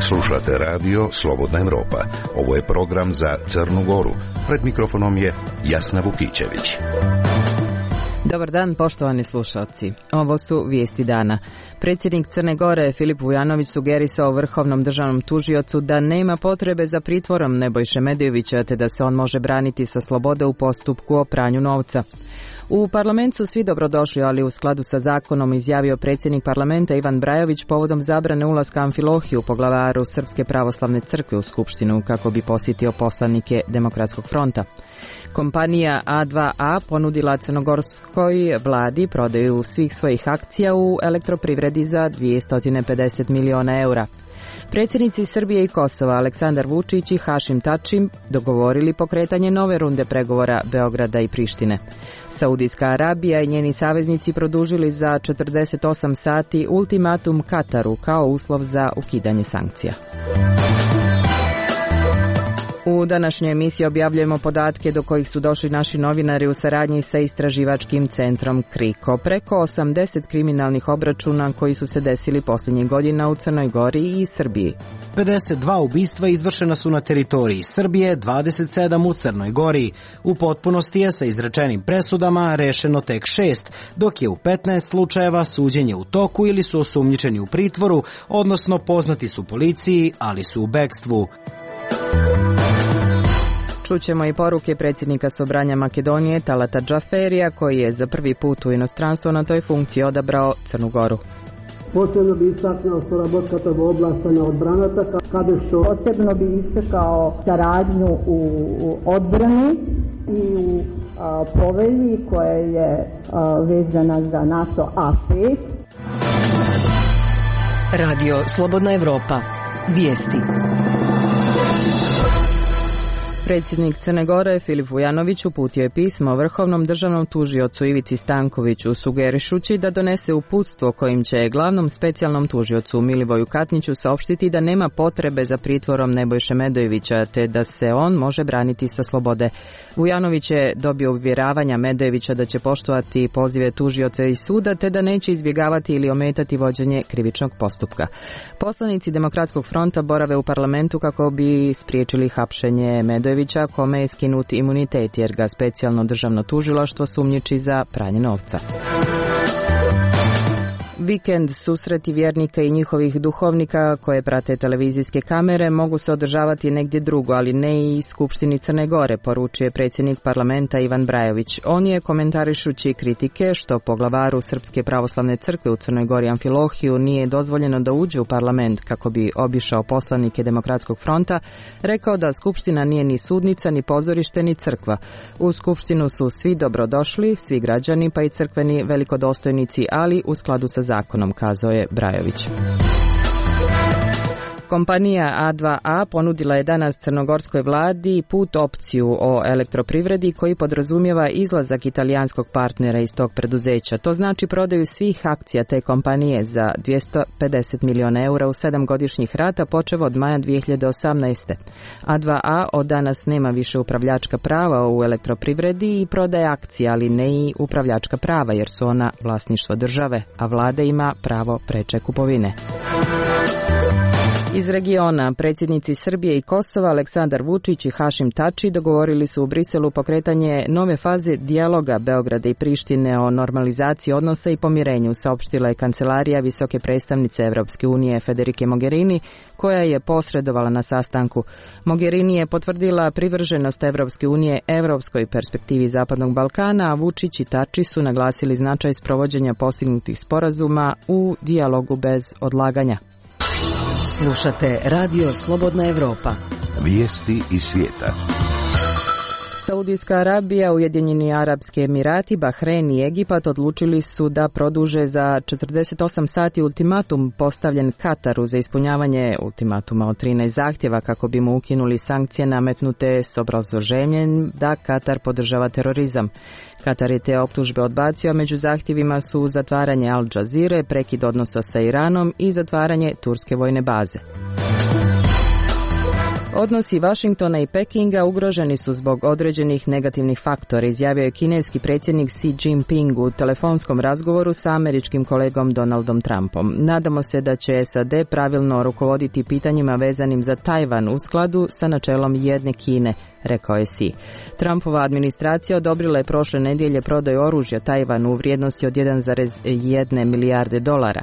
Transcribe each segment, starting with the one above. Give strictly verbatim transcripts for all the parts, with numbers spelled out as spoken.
Slušate radio Slobodna Evropa. Ovo je program za Crnu Goru. Pred mikrofonom je Jasna Vukićević. Dobar dan, poštovani slušalci. Ovo su vijesti dana. Predsjednik Crne Gore Filip Vujanović sugerisao vrhovnom državnom tužiocu da nema potrebe za pritvorom Nebojše Medojevića, te da se on može braniti sa slobode u postupku o pranju novca. U parlamentu su svi dobrodošli, ali u skladu sa zakonom, izjavio predsjednik parlamenta Ivan Brajović povodom zabrane ulaska Amfilohiju, poglavaru Srpske pravoslavne crkve, u skupštinu kako bi posjetio poslanike Demokratskog fronta. Kompanija A dva A ponudila crnogorskoj vladi prodaju svih svojih akcija u elektroprivredi za dvjesto pedeset miliona eura. Predsjednici Srbije i Kosova Aleksandar Vučić i Hašim Tači dogovorili pokretanje nove runde pregovora Beograda i Prištine. Saudijska Arabija i njeni saveznici produžili za četrdeset osam sati ultimatum Kataru kao uslov za ukidanje sankcija. U današnjoj emisiji objavljujemo podatke do kojih su došli naši novinari u saradnji sa istraživačkim centrom Kriko. Preko osamdeset kriminalnih obračuna koji su se desili posljednjih godina u Crnoj Gori i Srbiji. pedeset dva ubistva izvršena su na teritoriji Srbije, dvadeset sedam u Crnoj Gori. U potpunosti je sa izrečenim presudama rešeno tek šest, dok je u petnaest slučajeva suđenje u toku ili su osumnjičeni u pritvoru, odnosno poznati su policiji, ali su u bekstvu. Čućemo i poruke predsjednika Sobranja Makedonije Talata Džaferija, koji je za prvi put u inostranstvo na toj funkciji odabrao Crnu Goru. Posebno bi istaknuo sоработката во области на одбраната, каде што posebno bi istakao saradnju u odbrani i u a, povelji koja je a, vezana za NATO A pet. Radio Slobodna Evropa. Vijesti. Predsjednik Crne Gore Filip Vujanović uputio je pismo vrhovnom državnom tužiocu Ivici Stankoviću, sugerišući da donese uputstvo kojim će glavnom specijalnom tužiocu Milivoju Katniću saopštiti da nema potrebe za pritvorom Nebojše Medojevića, te da se on može braniti sa slobode. Vujanović je dobio uvjeravanja Medojevića da će poštovati pozive tužioca i suda, te da neće izbjegavati ili ometati vođenje krivičnog postupka. Poslanici Demokratskog fronta borave u parlamentu kako bi spriječili hapšenje Medojevića, kome je skinut imunitet jer ga specijalno državno tužilaštvo sumnjiči za pranje novca. Vikend susreti vjernika i njihovih duhovnika koje prate televizijske kamere mogu se održavati negdje drugo, ali ne i Skupštini Crne Gore, poručuje predsjednik parlamenta Ivan Brajović. On je, komentarišući kritike što poglavaru Srpske pravoslavne crkve u Crnoj Gori Amfilohiju nije dozvoljeno da uđe u parlament kako bi obišao poslanike Demokratskog fronta, rekao da Skupština nije ni sudnica, ni pozorište, ni crkva. U Skupštinu su svi dobrodošli, svi građani pa i crkveni velikodostojnici, ali u skladu sa zakonom, kazao je Brajović. Kompanija A dva A ponudila je danas crnogorskoj vladi put opciju o elektroprivredi koji podrazumijeva izlazak italijanskog partnera iz tog preduzeća. To znači prodaju svih akcija te kompanije za dvjesto pedeset miliona eura u sedam godišnjih rata počev od maja dvije hiljade osamnaeste. A dva A od danas nema više upravljačka prava u elektroprivredi i prodaje akcije, ali ne i upravljačka prava jer su ona vlasništvo države, a vlada ima pravo preče kupovine. Iz regiona predsjednici Srbije i Kosova Aleksandar Vučić i Hašim Tači dogovorili su u Briselu pokretanje nove faze dijaloga Beograda i Prištine o normalizaciji odnosa i pomirenju, saopštila je kancelarija visoke predstavnice Evropske unije Federike Mogherini, koja je posredovala na sastanku. Mogherini je potvrdila privrženost Evropske unije evropskoj perspektivi Zapadnog Balkana, a Vučić i Tači su naglasili značaj sprovođenja postignutih sporazuma u dijalogu bez odlaganja. Slušate Radio Slobodna Evropa. Vijesti iz svijeta. Saudijska Arabija, Ujedinjeni Arapski Emirati, Bahrein i Egipat odlučili su da produže za četrdeset osam sati ultimatum postavljen Kataru za ispunjavanje ultimatuma od trinaest zahtjeva kako bi mu ukinuli sankcije nametnute s obrazloženjem da Katar podržava terorizam. Katar je te optužbe odbacio, a među zahtjevima su zatvaranje Al Jazeere, prekid odnosa sa Iranom i zatvaranje turske vojne baze. Odnosi Vašingtona i Pekinga ugroženi su zbog određenih negativnih faktora, izjavio je kineski predsjednik Xi Jinping u telefonskom razgovoru sa američkim kolegom Donaldom Trumpom. Nadamo se da će S A D pravilno rukovoditi pitanjima vezanim za Tajvan u skladu sa načelom jedne Kine, rekao je Xi. Trumpova administracija odobrila je prošle nedjelje prodaju oružja Tajvanu u vrijednosti od jedan zarez jedna milijarde dolara.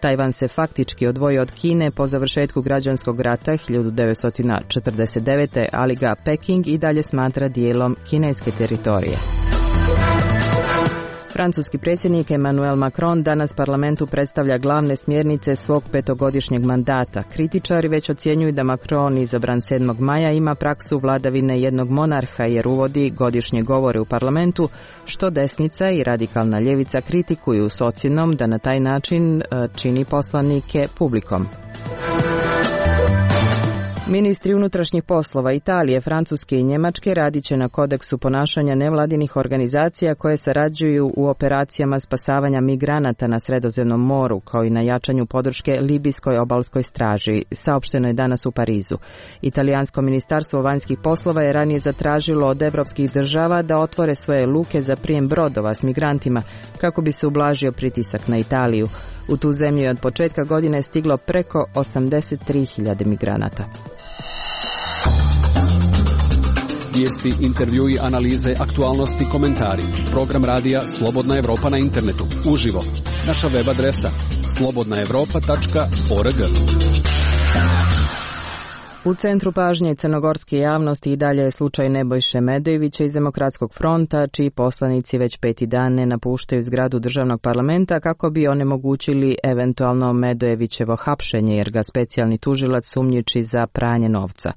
Tajvan se faktički odvojio od Kine po završetku građanskog rata hiljadu devetsto četrdeset devete. ali ga Peking i dalje smatra dijelom kineske teritorije. Francuski predsjednik Emmanuel Macron danas parlamentu predstavlja glavne smjernice svog petogodišnjeg mandata. Kritičari već ocjenjuju da Macron, izabran sedmog maja, ima praksu vladavine jednog monarha jer uvodi godišnje govore u parlamentu, što desnica i radikalna ljevica kritikuju s ocjenom da na taj način čini poslanike publikom. Ministri unutrašnjih poslova Italije, Francuske i Njemačke radit će na kodeksu ponašanja nevladinih organizacija koje sarađuju u operacijama spasavanja migranata na Sredozemnom moru, kao i na jačanju podrške libijskoj obalskoj straži, saopšteno je danas u Parizu. Italijansko ministarstvo vanjskih poslova je ranije zatražilo od evropskih država da otvore svoje luke za prijem brodova s migrantima kako bi se ublažio pritisak na Italiju. U tu zemlju je od početka godine stiglo preko osamdeset tri hiljade migranata. Vijesti, intervjui, analize, aktualnosti, komentari. Program radija Slobodna Evropa na internetu. Uživo. Naša web adresa slobodna evropa tačka org. U centru pažnje crnogorske javnosti i dalje je slučaj Nebojše Medojevića iz Demokratskog fronta, čiji poslanici već peti dan ne napuštaju zgradu državnog parlamenta kako bi onemogućili eventualno Medojevićevo hapšenje, jer ga specijalni tužilac sumnjiči za pranje novca.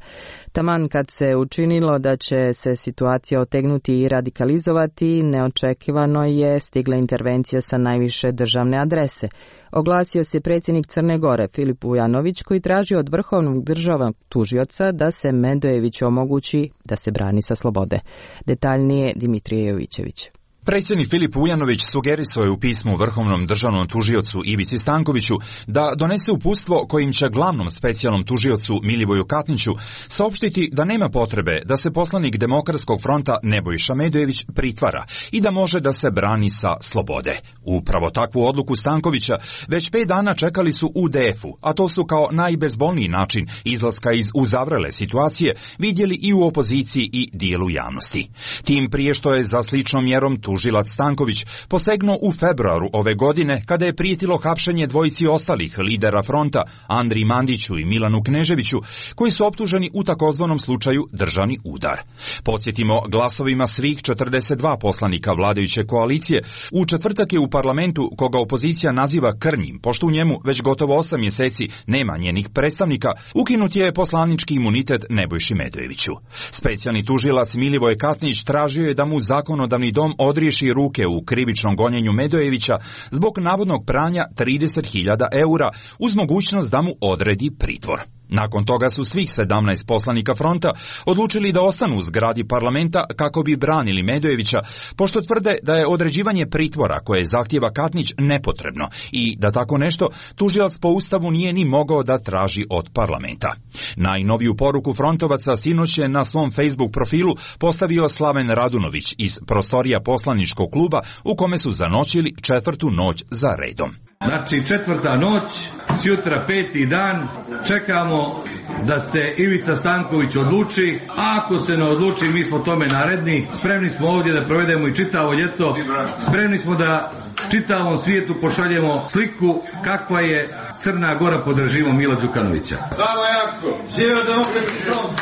Taman kad se učinilo da će se situacija otegnuti i radikalizovati, neočekivano je stigla intervencija sa najviše državne adrese. Oglasio se predsjednik Crne Gore Filip Vujanović, koji traži od vrhovnog državnog tužioca da se Medojeviću omogući da se brani sa slobode. Detaljnije Dimitrije Jovićević. Predsjednik Filip Vujanović sugerisao je u pismu vrhovnom državnom tužiocu Ivici Stankoviću da donese uputstvo kojim će glavnom specijalnom tužiocu Milivoju Katniću saopštiti da nema potrebe da se poslanik Demokratskog fronta Nebojša Medojević pritvara i da može da se brani sa slobode. Upravo takvu odluku Stankovića već pet dana čekali su u D F-u, a to su kao najbezbolniji način izlaska iz uzavrele situacije vidjeli i u opoziciji i dijelu javnosti. Tim prije što je za sličnom mjerom tužilac Stanković posegnuo u februaru ove godine kada je prijetilo hapšenje dvojici ostalih lidera fronta, Andriji Mandiću i Milanu Kneževiću, koji su optuženi u takozvanom slučaju državni udar. Podsjetimo, glasovima svih četrdeset dva poslanika vladajuće koalicije, u četvrtak je u parlamentu, koga opozicija naziva krnjim, pošto u njemu već gotovo osam mjeseci nema njenih predstavnika, ukinut je poslanički imunitet Nebojši Medojeviću. Specijalni tužilac Milivoje Katnić tražio je da mu zakonodavni dom odriješi ruke u krivičnom gonjenju Medojevića zbog navodnog pranja trideset hiljada eura uz mogućnost da mu odredi pritvor. Nakon toga su svih sedamnaest poslanika fronta odlučili da ostanu u zgradi parlamenta kako bi branili Medojevića, pošto tvrde da je određivanje pritvora koje zahtijeva Katnić nepotrebno i da tako nešto tužilac po Ustavu nije ni mogao da traži od parlamenta. Najnoviju poruku frontovaca sinoć je na svom Facebook profilu postavio Slaven Radunović iz prostorija poslaničkog kluba u kome su zanoćili četvrtu noć za redom. Znači četvrta noć, sutra peti dan, čekamo da se Ivica Stanković odluči, a ako se ne odluči mi smo tome naredni, spremni smo ovdje da provedemo i čitavo ljeto, spremni smo da čitavom svijetu pošaljemo sliku kakva je Crna Gora pod režimom Mila Đukanovića. Samo jako! Živio Demokratski front!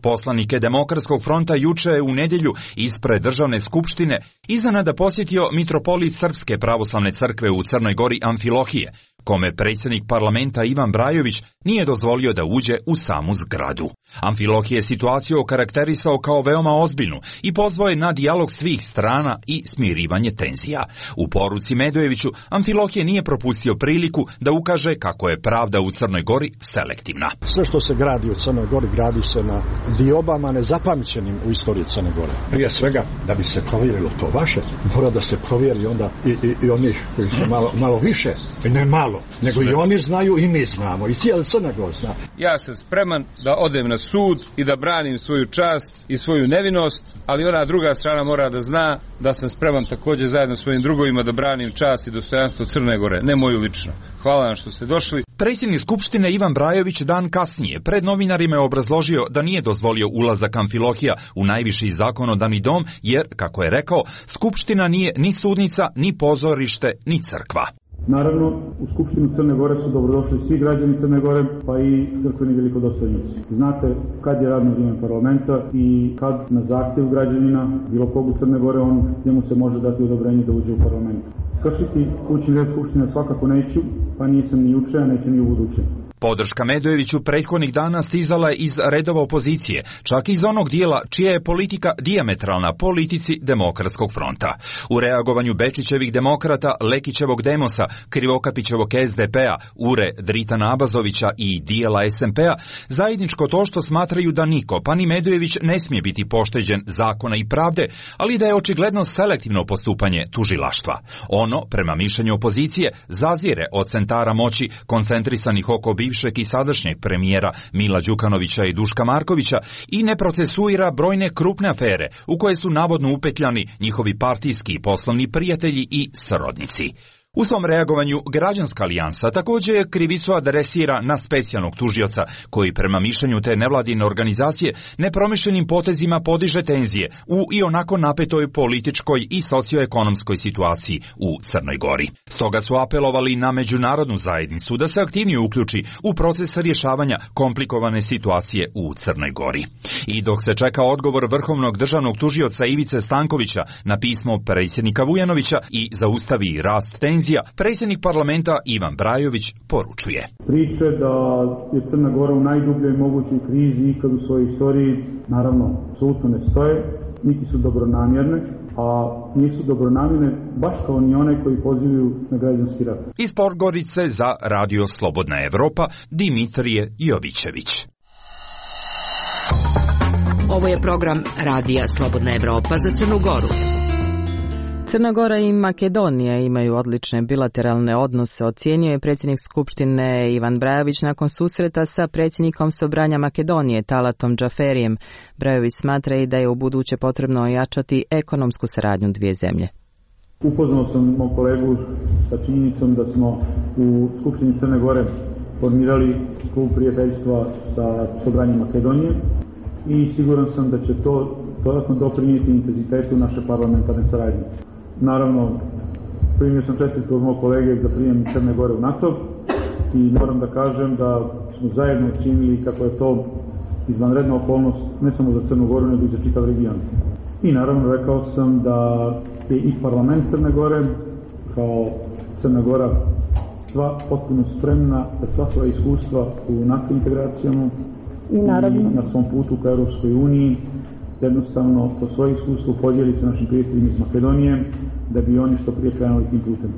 Poslanike Demokratskog fronta juče je u nedjelju ispred državne skupštine iznenada posjetio mitropolit Srpske pravoslavne crkve u Crnoj Gori Amfilohije, kome predsjednik parlamenta Ivan Brajović nije dozvolio da uđe u samu zgradu. Amfilohije je situaciju okarakterisao kao veoma ozbiljnu i pozvao je na dijalog svih strana i smirivanje tenzija. U poruci Medojeviću Amfilohije nije propustio priliku da ukaže kako je pravda u Crnoj Gori selektivna. Sve što se gradi u Crnoj Gori gradi se na diobama nezapamćenim u istoriji Crne Gore. Prije svega, da bi se provjerilo to vaše, mora da se provjeri onda i, i, i onih koji su malo, malo više, i ne malo bilo, nego i oni znaju i mi znamo, i cijeli Crna Gora zna. Ja sam spreman da odem na sud i da branim svoju čast i svoju nevinost, ali ona druga strana mora da zna da sam spreman također zajedno s svojim drugovima da branim čast i dostojanstvo Crne Gore, ne moju lično. Hvala vam što ste došli. Predsjednik Skupštine Ivan Brajović dan kasnije pred novinarima je obrazložio da nije dozvolio ulazak Amfilohija u najviši zakonodavni dom jer, kako je rekao, Skupština nije ni sudnica, ni pozorište, ni crkva. Naravno, u Skupštinu Crne Gore su dobrodošli svi građani Crne Gore, pa i crkveni velikodostojnici. Znate kad je radno vrijeme parlamenta i kad na zahtjev građanina, bilo kog u Crne Gore, on, njemu se može dati odobrenje da uđe u parlament. Kršiti kućni red Skupštine svakako neću, pa nisam ni juče, a neću ni u buduće. Podrška Medojeviću prethodnih dana stizala je iz redova opozicije, čak i iz onog dijela čija je politika dijametralna politici Demokratskog fronta. U reagovanju Bečićevih demokrata, Lekićevog Demosa, Krivokapićevog es de pe a, Ure Dritana Abazovića i dijela es em pe a, zajedničko to što smatraju da niko, pa ni Medojević, ne smije biti pošteđen zakona i pravde, ali da je očigledno selektivno postupanje tužilaštva. Ono, prema mišljenju opozicije, zazire od centara moći koncentrisanih oko bivšeg i sadašnjeg premijera Mila Đukanovića i Duška Markovića i ne procesuira brojne krupne afere u koje su navodno upetljani njihovi partijski i poslovni prijatelji i srodnici. U svom reagovanju Građanska alijansa također krivicu adresira na specijalnog tužioca koji prema mišljenju te nevladine organizacije nepromišljenim potezima podiže tenzije u i onako napetoj političkoj i socioekonomskoj situaciji u Crnoj Gori. Stoga su apelovali na međunarodnu zajednicu da se aktivnije uključi u proces rješavanja komplikovane situacije u Crnoj Gori. I dok se čeka odgovor Vrhovnog državnog tužioca Ivice Stankovića na pismo predsjednika Vujanovića i zaustavi rast tenzija, predsjednik parlamenta Ivan Brajović poručuje. Priče da je Crna Gora u najdubljoj mogućoj krizi ikad u svojoj istoriji, naravno, apsolutno ne stoje, niti su dobronamjerne, a nisu dobronamjerne baš kao ni one koji pozivaju na građanski rat. Iz Podgorice za Radio Slobodna Evropa, Dimitrije Jovićević. Ovo je program Radija Slobodna Evropa za Crnu Goru. Crna Gora i Makedonija imaju odlične bilateralne odnose, ocijenio je predsjednik Skupštine Ivan Brajović nakon susreta sa predsjednikom Sobranja Makedonije Talatom Džaferijem. Brajović smatra i da je u buduće potrebno ojačati ekonomsku saradnju dvije zemlje. Upoznao sam mog kolegu sa činjenicom da smo u Skupštini Crne Gore formirali klub prijateljstva sa Sobranjem Makedonije i siguran sam da će to dodatno doprinijeti intenzitetu naše parlamentarne saradnje. Naravno, primio sam čestitku od mog kolege za prijem Crne Gore u NATO i moram da kažem da smo zajedno činili kako je to izvanredna okolnost ne samo za Crnu Goru, nego i za čitav region. I naravno rekao sam da je i parlament Crne Gore, kao Crna Gora, sva potpuno spremna da sva svoja iskustva u NATO integracijama i, naravno, i na svom putu ka Europskoj uniji jednostavno to svoje iskustvo podijeli sa našim prijateljima iz Makedonije da bi oni što prije krenuli tim putem.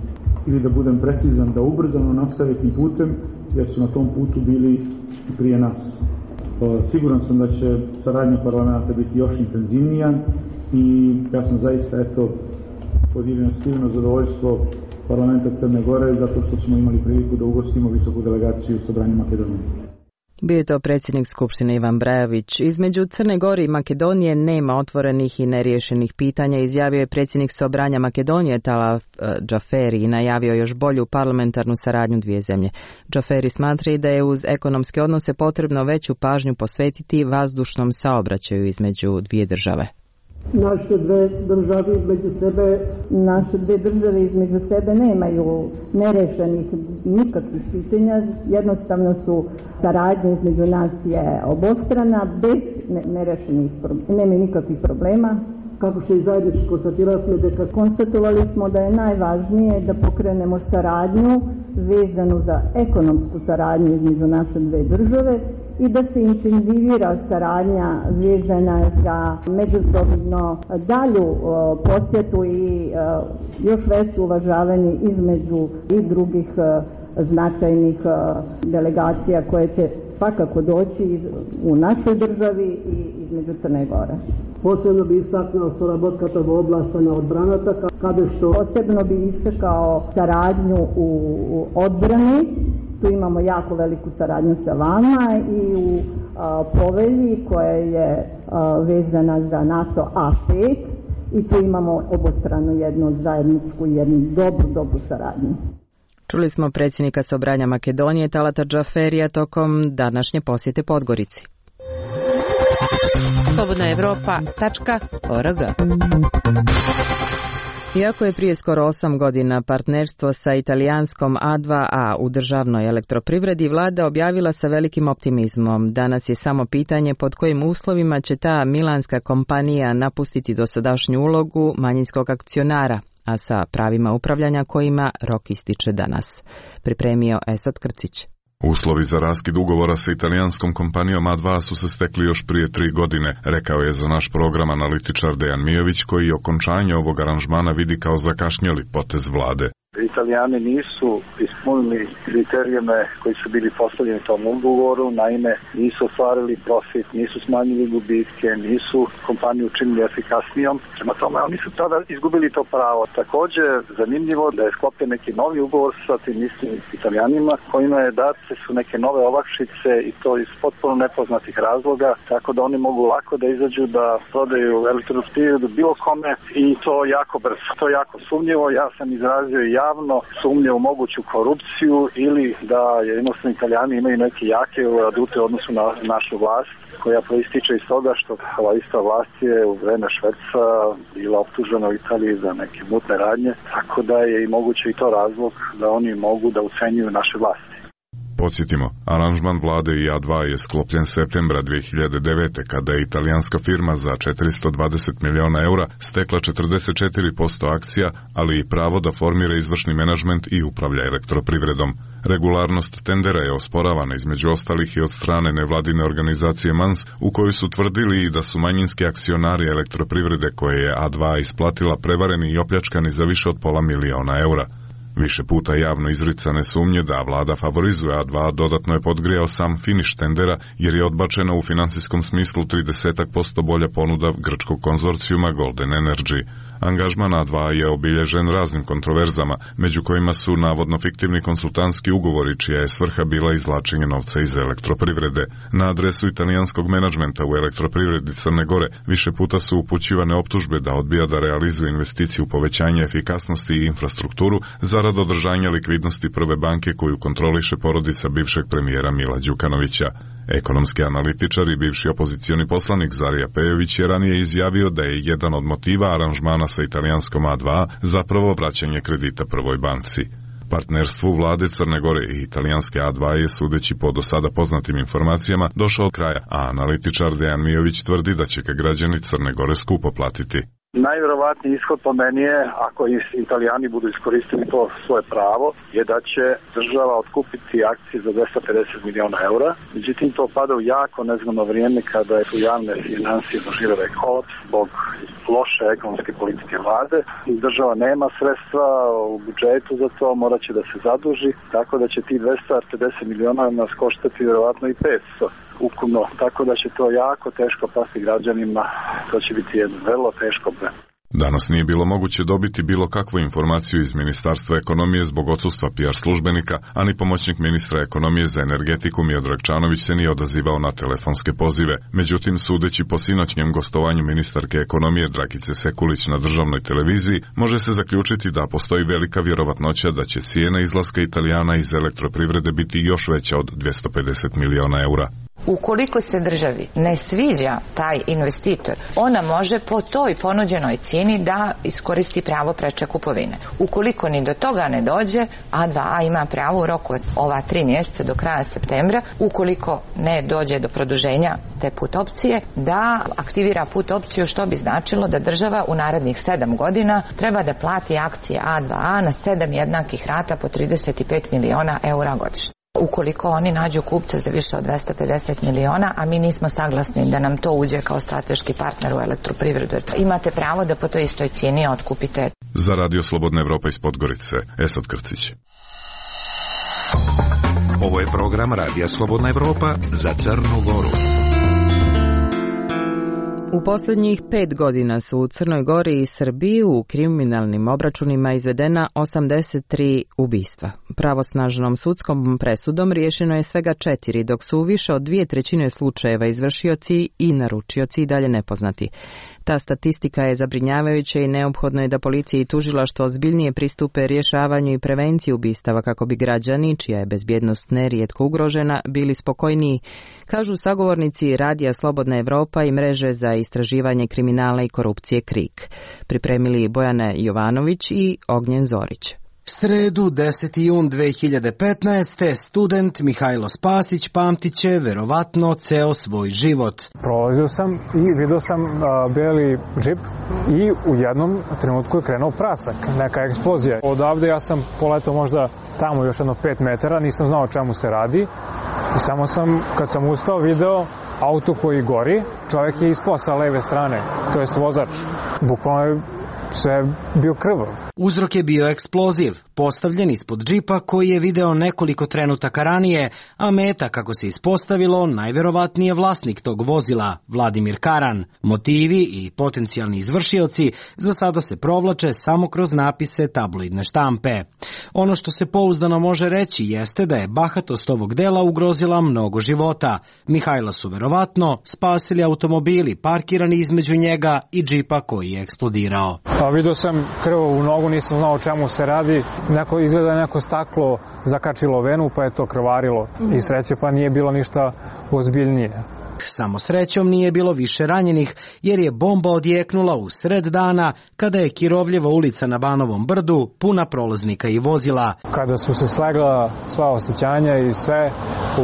Ili da budem precizan, da ubrzano nastave tim putem jer su na tom putu bili i prije nas. Siguran sam da će saradnja parlamenta biti još intenzivnija i ja sam zaista eto podijelio stivno zadovoljstvo parlamenta Crne Gore zato što smo imali priliku da ugostimo visoku delegaciju Sobranja Makedonije. Bio je to predsjednik Skupštine Ivan Brajović. Između Crne Gore i Makedonije nema otvorenih i neriješenih pitanja, izjavio je predsjednik Sobranja Makedonije Talaf Džaferi i najavio još bolju parlamentarnu saradnju dvije zemlje. Džaferi smatra da je uz ekonomske odnose potrebno veću pažnju posvetiti vazdušnom saobraćaju između dvije države. Naše dve države između sebe, naše dve države između sebe nemaju nerešenih nikakvih pitanja, jednostavno su saradnja između nas je obostrana, bez nerešenih, nema nikakvih problema. Kako še i zajednički konstatirali smo da konstatovali smo da je najvažnije da pokrenemo saradnju vezanu za ekonomsku saradnju između naše dve države i da se intenzivira saradnja vezana za međusobno dalju o, posjetu i o, još veće uvažavanje između i drugih o, značajnih o, delegacija koje će svakako doći iz, u našoj državi i između Crne Gore. Posebno bi istaknuo sоработката во областа на одбраната, каде што posebno bi istakao saradnju u odbrani. Tu imamo jako veliku saradnju sa vama i u a, povelji koja je a, vezana za NATO A pet i tu imamo obostranu jednu zajedničku i jednu dobru, dobru saradnju. Čuli smo predsjednika Sobranja Makedonije Talata Džaferija tokom današnje posjete Podgorici. slobodna evropa tačka org. Iako je prije skoro osam godina partnerstvo sa italijanskom A dva A u državnoj elektroprivredi, vlada objavila sa velikim optimizmom. Danas je samo pitanje pod kojim uslovima će ta milanska kompanija napustiti dosadašnju ulogu manjinskog akcionara, a sa pravima upravljanja kojima rok ističe danas. Pripremio Esad Krcić. Uslovi za raskid ugovora sa italijanskom kompanijom A dva su se stekli još prije tri godine, rekao je za naš program analitičar Dejan Mijović, koji okončanje ovog aranžmana vidi kao zakašnjeli potez vlade. Italijani nisu ispunili kriterijume koji su bili postavljeni tom ugovoru, naime nisu ostvarili profit, nisu smanjili gubitke, nisu kompaniju učinili efikasnijom. Prema tome, oni su tada izgubili to pravo. Također, zanimljivo da je sklopljen neki novi ugovor sa tim istim Italijanima, kojima je date su neke nove olakšice i to iz potpuno nepoznatih razloga, tako da oni mogu lako da izađu da prodaju elektroprivredu bilo kome i to jako brzo. To je jako sumnjivo, ja sam izrazio i javno sumnje u moguću korupciju ili da jednostavno Italijani imaju neke jake adute u odnosu na našu vlast, koja proističe iz toga što ova ista vlast je u vreme Švedca bila optužena u Italiji za neke mutne radnje, tako da je i moguće i to razlog da oni mogu da ucenjuju naše vlasti. Podsjetimo, aranžman vlade i A dva je sklopljen septembra dvije hiljade devete. kada je italijanska firma za četiristo dvadeset miliona eura stekla četrdeset četiri posto akcija, ali i pravo da formira izvršni menadžment i upravlja elektroprivredom. Regularnost tendera je osporavana između ostalih i od strane nevladine organizacije Mans, u kojoj su tvrdili i da su manjinski akcionari elektroprivrede koje je A dva isplatila prevareni i opljačkani za više od pola miliona eura. Više puta javno izricane sumnje da vlada favorizuje A dva dodatno je podgrijao sam finiš tendera, jer je odbačena u finansijskom smislu trideset posto bolja ponuda grčkog konzorcijuma Golden Energy. Angažman A dva je obilježen raznim kontroverzama, među kojima su navodno fiktivni konsultantski ugovori čija je svrha bila izvlačenje novca iz elektroprivrede. Na adresu italijanskog menadžmenta u elektroprivredi Crne Gore više puta su upućivane optužbe da odbija da realizuje investiciju u povećanje efikasnosti i infrastrukturu zarad održanja likvidnosti Prve banke koju kontroliše porodica bivšeg premijera Mila Đukanovića. Ekonomski analitičar i bivši opozicioni poslanik Zarija Pejović je ranije izjavio da je jedan od motiva aranžmana sa italijanskom A dva zapravo vraćanje kredita Prvoj banci. Partnerstvu vlade Crne Gore i italijanske A dva je, sudeći po do sada poznatim informacijama, došao od kraja, a analitičar Dejan Mijović tvrdi da će ga građani Crne Gore skupo platiti. Najvjerovatniji ishod po meni je, ako Italijani budu iskoristili to svoje pravo, je da će država otkupiti akcije za dvesta pedeset miliona eura. Međutim, to pada u jako nezgodno vrijeme kada su javne financije doživjele kolaps zbog loše ekonomske politike vlade. Država nema sredstva u budžetu za to, morat će da se zaduži, tako da će ti dvesta pedeset miliona nas koštati vjerovatno i petsto ukupno, tako da će to jako teško pasti građanima, to će biti jedno vrlo teško breme. Danas nije bilo moguće dobiti bilo kakvu informaciju iz Ministarstva ekonomije zbog odsustva P R službenika, a ni pomoćnik ministra ekonomije za energetiku Miodrag Čanović se nije odazivao na telefonske pozive. Međutim, sudeći po sinoćnjem gostovanju ministarke ekonomije Dragice Sekulić na državnoj televiziji, može se zaključiti da postoji velika vjerovatnoća da će cijena izlaska Italijana iz elektroprivrede biti još veća od dvesta pedeset miliona eura. Ukoliko se državi ne sviđa taj investitor, ona može po toj ponuđenoj cijeni da iskoristi pravo preče kupovine. Ukoliko ni do toga ne dođe, A dva A ima pravo u roku od ova tri mjeseca do kraja septembra, ukoliko ne dođe do produženja te put opcije, da aktivira put opciju, što bi značilo da država u narednih sedam godina treba da plati akcije A dva A na sedam jednakih rata po trideset pet miliona eura godišnje. Ukoliko oni nađu kupca za više od dvesta pedeset miliona, a mi nismo saglasni da nam to uđe kao strateški partner u elektroprivredu, imate pravo da po toj istoj cijeni otkupite. Za Radio Slobodna Evropa iz Podgorice, Esad Krcić. Ovo je program Radija Slobodna Evropa za Crnu Goru. U posljednjih pet godina su u Crnoj Gori i Srbiji u kriminalnim obračunima izvedena osamdeset tri ubistva. Pravosnažnom sudskom presudom riješeno je svega četiri, dok su više od dvije trećine slučajeva izvršioci i naručioci i dalje nepoznati. Ta statistika je zabrinjavajuća i neophodno je da policija i tužilaštvo ozbiljnije pristupe rješavanju i prevenciji ubistava kako bi građani, čija je bezbjednost nerijetko ugrožena, bili spokojniji, kažu sagovornici Radija Slobodna Evropa i mreže za istraživanje kriminala i korupcije KRIK. Pripremili Bojana Jovanović i Ognjen Zorić. Sredu, deseti jun dve hiljade petnaeste. student Mihajlo Spasić pamtit će verovatno ceo svoj život. Prolazio sam i vidio sam a, beli džip i u jednom trenutku je krenuo prasak, neka eksplozija. Odavde ja sam poletao možda tamo još jedno pet metara, nisam znao o čemu se radi i samo sam, kad sam ustao, video auto koji gori, čovjek je ispao sa leve strane, to jest vozač. Bukvalno je sve bio krvav. Uzrok je bio eksploziv, postavljen ispod džipa koji je video nekoliko trenutaka ranije, a meta, kako se ispostavilo, najverovatnije vlasnik tog vozila, Vladimir Karan. Motivi i potencijalni izvršioci za sada se provlače samo kroz napise tabloidne štampe. Ono što se pouzdano može reći jeste da je bahatost ovog dela ugrozila mnogo života. Mihajla su verovatno spasili automobili parkirani između njega i džipa koji je eksplodirao. A vidio sam krv u nogu, nisam znao o čemu se radi. Neko, izgleda neko staklo zakačilo venu pa je to krvarilo. I sreće pa nije bilo ništa ozbiljnije. Samo srećom nije bilo više ranjenih, jer je bomba odjeknula u sred dana kada je Kirovljeva ulica na Banovom brdu puna prolaznika i vozila. Kada su se slegla sva osjećanja i sve,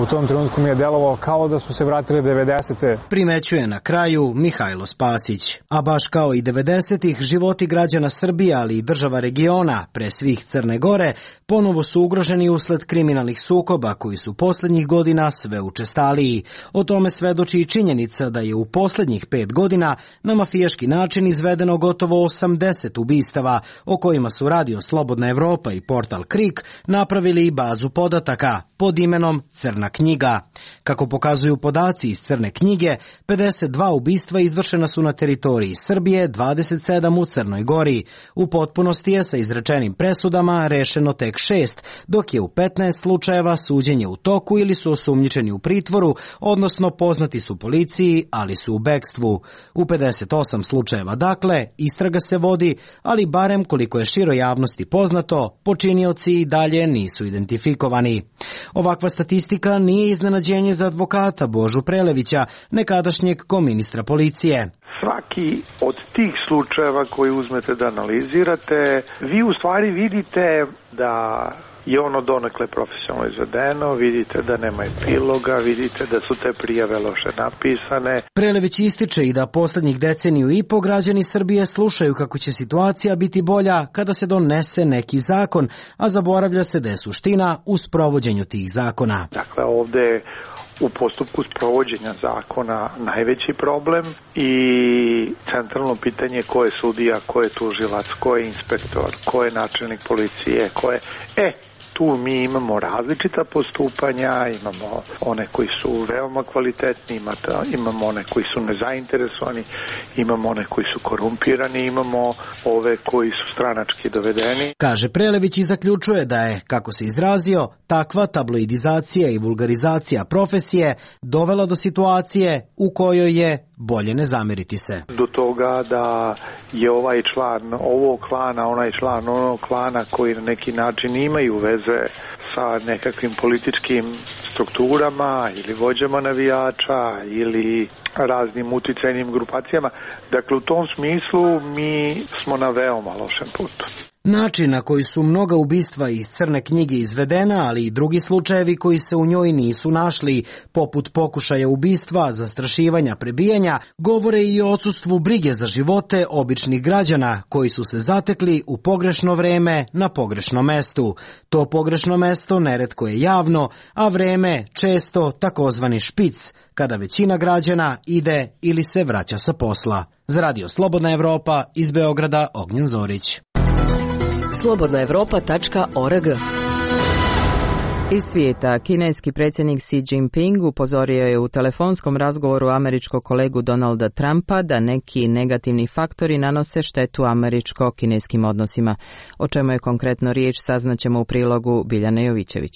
u tom trenutku mi je delovalo kao da su se vratili devedesete. Primećuje na kraju Mihajlo Spasić. A baš kao i devedesetih, životi građana Srbije, ali i država regiona, pre svih Crne Gore, ponovo su ugroženi usled kriminalnih sukoba koji su posljednjih godina sve učestaliji. O tome svedoči i činjenica da je u posljednjih pet godina na mafijaški način izvedeno gotovo osamdeset ubistava, o kojima su Radio Slobodna Evropa i portal KRIK napravili i bazu podataka pod imenom Crna knjiga. Kako pokazuju podaci iz Crne knjige, pedeset dva ubistva izvršena su na teritoriji Srbije, dvadeset sedam u Crnoj Gori. U potpunosti je sa izrečenim presudama rešeno tek šest, dok je u petnaest slučajeva suđenje u toku ili su osumnjičeni u pritvoru, odnosno poznati su policiji, ali su u bekstvu. U pedeset osam slučajeva, dakle, istraga se vodi, ali barem koliko je široj javnosti poznato, počinioci i dalje nisu identifikovani. Ovakva statistika nije iznenađenje za advokata Božu Prelevića, nekadašnjeg koministra policije. Svaki od tih slučajeva koji uzmete da analizirate, vi u stvari vidite da je ono donekle profesionalno izvedeno, vidite da nema epiloga, vidite da su te prijave loše napisane. Prelević ističe i da posljednjih deceniju i po građani Srbije slušaju kako će situacija biti bolja kada se donese neki zakon, a zaboravlja se da je suština u sprovođenju tih zakona. Dakle, ovde u postupku sprovođenja zakona najveći problem i centralno pitanje ko je sudija, ko je tužilac, ko je inspektor, ko je načelnik policije, ko je... E, tu mi imamo različita postupanja, imamo one koji su veoma kvalitetni, imamo one koji su nezainteresovani, imamo one koji su korumpirani, imamo ove koji su stranački dovedeni. Kaže Prelević i zaključuje da je, kako se izrazio, takva tabloidizacija i vulgarizacija profesije dovela do situacije u kojoj je bolje ne zameriti se. Do toga da je ovaj član ovog klana, onaj član onog klana koji na neki način imaju veze sa nekakvim političkim strukturama ili vođama navijača ili raznim uticajnim grupacijama. Dakle, u tom smislu mi smo na veoma lošem putu. Način na koji su mnoga ubistva iz Crne knjige izvedena, ali i drugi slučajevi koji se u njoj nisu našli, poput pokušaja ubistva, zastrašivanja, prebijanja, govore i o odsustvu brige za živote običnih građana koji su se zatekli u pogrešno vreme na pogrešnom mestu. To pogrešno mesto neretko je javno, a vreme često takozvani špic, kada većina građana ide ili se vraća sa posla. Za Radio Slobodna Evropa iz Beograda, Ognjen Zorić. slobodna evropa tačka org Iz svijeta, kineski predsjednik Xi Jinping upozorio je u telefonskom razgovoru američkog kolegu Donalda Trumpa da neki negativni faktori nanose štetu američko-kineskim odnosima. O čemu je konkretno riječ saznaćemo u prilogu Biljane Jovićević.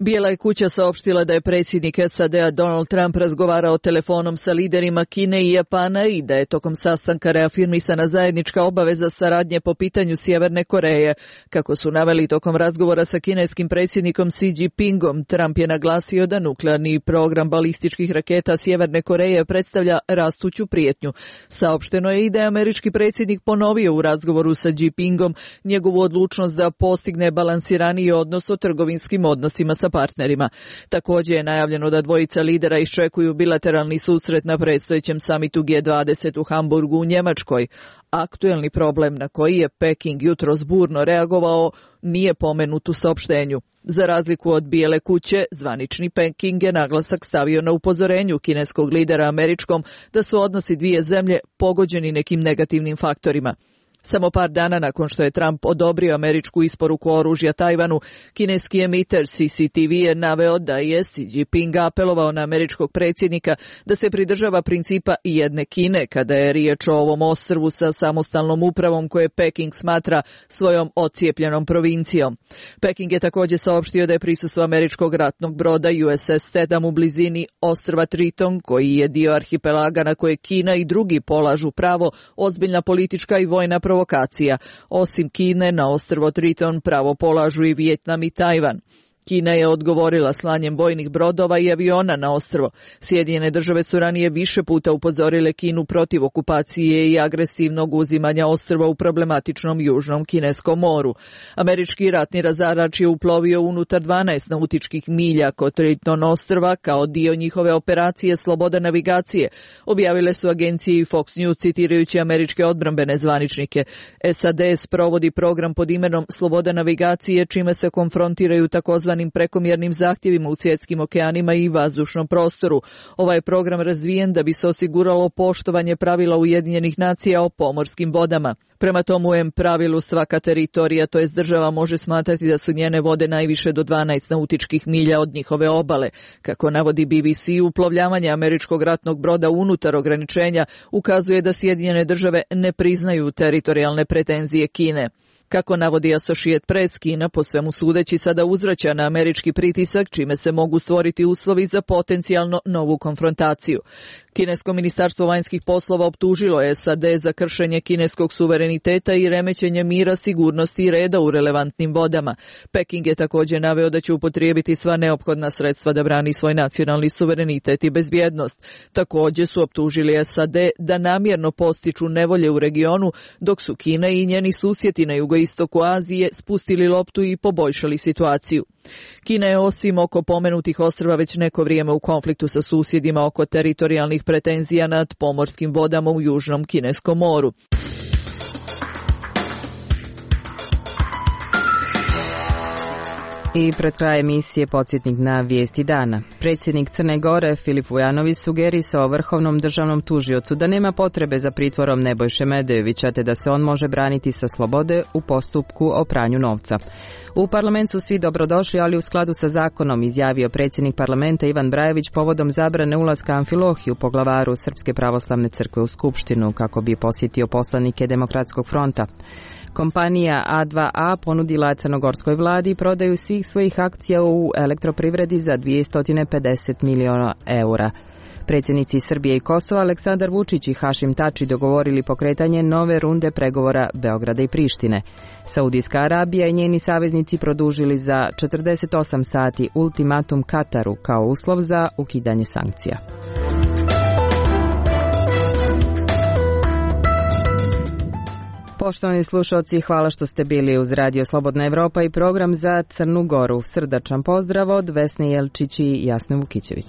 Bijela je kuća saopštila da je predsjednik S A D-a Donald Trump razgovarao telefonom sa liderima Kine i Japana i da je tokom sastanka reafirmisana zajednička obaveza saradnje po pitanju Sjeverne Koreje. Kako su naveli tokom razgovora sa kineskim predsjednikom Xi Jinpingom, Trump je naglasio da nuklearni program balističkih raketa Sjeverne Koreje predstavlja rastuću prijetnju. Saopšteno je i da je američki predsjednik ponovio u razgovoru sa Jinpingom njegovu odlučnost da postigne balansiraniji odnos o trgovinskim odnosima sa partnerima. Također je najavljeno da dvojica lidera iščekuju bilateralni susret na predstojećem samitu G dvadeset u Hamburgu u Njemačkoj. Aktuelni problem na koji je Peking jutros burno reagovao nije pomenut u saopštenju. Za razliku od Bijele kuće, zvanični Peking je naglasak stavio na upozorenju kineskog lidera američkom da su odnosi dvije zemlje pogođeni nekim negativnim faktorima. Samo par dana nakon što je Trump odobrio američku isporuku oružja Tajvanu, kineski emiter C C T V je naveo da je Xi Jinping apelovao na američkog predsjednika da se pridržava principa jedne Kine kada je riječ o ovom ostrvu sa samostalnom upravom koje Peking smatra svojom ocijepljenom provincijom. Peking je također saopštio da je prisustvo američkog ratnog broda U S S Tatham u blizini ostrva Triton, koji je dio arhipelaga na koje Kina i drugi polažu pravo, ozbiljna politička i vojna provokacija. Osim Kine, na ostrvo Triton pravo polažu i Vijetnam i Tajvan. Kina je odgovorila slanjem vojnih brodova i aviona na ostrvo. Sjedinjene države su ranije više puta upozorile Kinu protiv okupacije i agresivnog uzimanja ostrva u problematičnom južnom kineskom moru. Američki ratni razarač je uplovio unutar dvanaest nautičkih milja kod Triton ostrva kao dio njihove operacije Sloboda navigacije, objavile su agencije i Fox News citirajući američke odbrambene zvaničnike. S A D sprovodi program pod imenom Sloboda navigacije, čime se konfrontiraju takozvani prekomjernim zahtjevima u svjetskim okeanima i vazdušnom prostoru. Ovaj program razvijen da bi se osiguralo poštovanje pravila Ujedinjenih nacija o pomorskim vodama. Prema tomu em pravilu svaka teritorija, to jest država, može smatrati da su njene vode najviše do dvanaest nautičkih milja od njihove obale. Kako navodi B B C, uplovljavanje američkog ratnog broda unutar ograničenja ukazuje da Sjedinjene države ne priznaju teritorijalne pretenzije Kine. Kako navodi Associated Press, Kina po svemu sudeći sada uzvraća na američki pritisak, čime se mogu stvoriti uslovi za potencijalno novu konfrontaciju. Kinesko ministarstvo vanjskih poslova optužilo je S A D za kršenje kineskog suvereniteta i remećenje mira, sigurnosti i reda u relevantnim vodama. Peking je također naveo da će upotrijebiti sva neophodna sredstva da brani svoj nacionalni suverenitet i bezbjednost. Također su optužili S A D da namjerno postiču nevolje u regionu, dok su Kina i njeni susjedi na jugoistoku Azije spustili loptu i poboljšali situaciju. Kina je osim oko pomenutih ostrva već neko vrijeme u konfliktu sa susjedima oko teritorijalnih pretenzija nad pomorskim vodama u južnom kineskom moru. I pred kraj emisije podsjetnik na vijesti dana. Predsjednik Crne Gore Filip Vujanović sugerisao vrhovnom državnom tužiocu da nema potrebe za pritvorom Nebojše Medejovića te da se on može braniti sa slobode u postupku o pranju novca. U parlament su svi dobrodošli, ali u skladu sa zakonom, izjavio predsjednik parlamenta Ivan Brajević povodom zabrane ulaska Amfilohiju, poglavaru Srpske pravoslavne crkve, u Skupštinu kako bi posjetio poslanike Demokratskog fronta. Kompanija A dva A ponudila crnogorskoj vladi prodaju svih svojih akcija u elektroprivredi za dvjesto pedeset miliona eura. Predsjednici Srbije i Kosova Aleksandar Vučić i Hašim Tači dogovorili pokretanje nove runde pregovora Beograda i Prištine. Saudijska Arabija i njeni saveznici produžili za četrdeset osam sati ultimatum Kataru kao uslov za ukidanje sankcija. Poštovani slušalci, hvala što ste bili uz Radio Slobodna Evropa i program za Crnu Goru. Srdačan pozdrav od Vesne Jelčić i Jasne Vukićević.